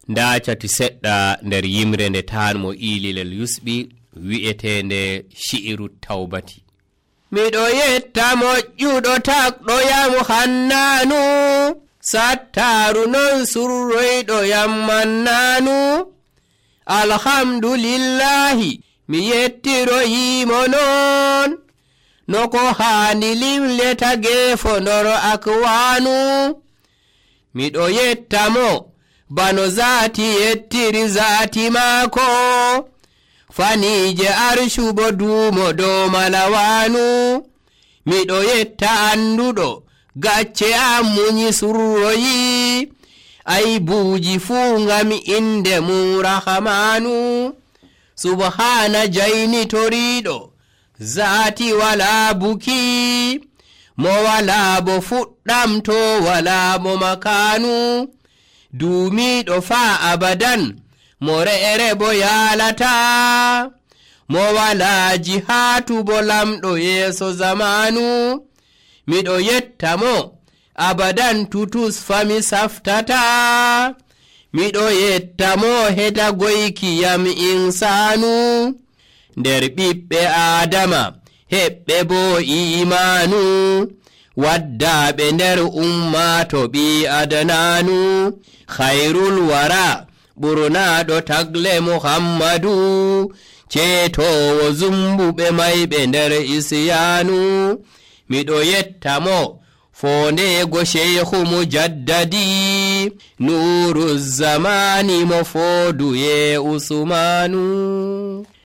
nda cati seɗɗa nder yimre nde tanmo ililel yusɓi wi'etende shi'iru tawbati. miɗo yetta moƴƴuɗo takɗo yam hannanu, sattaru non surroyɗo yam mannanu. alhamdulillahi mi yettiroyimo non, no ko haani limleta geefo ndor akwanu. miɗo yettamo bano zaati yettiri zaati maako, faniije arshubo duumo dow malawanu. miɗo yetta anduɗo gacce am muñi surroyi, aybuuji fuu ngam inde mum rahamanu. subhana jaynitoriɗo zaati wala buki, mo wala bo fuɗɗam to wala mo makanu. duumiɗo faa abadan mo re'ere bo yaalata, mo wala jihaatu bo lamɗo yeeso zamanu. miɗo yetta mo abadan tutus fami saftata, miɗo yetta mo heda goyki yam insanu. nder ɓiɓɓe adama heɓɓe bo imanu, waddaɓe nder ummato ɓi adananu. khairul wara ɓurnaɗo tagle muhammadu, ceetowo zumbuɓe mayɓe nder isyanu. miɗo yetta mo fondego sheikhu mujaddadi, nuru zamani mo foduye usmanu.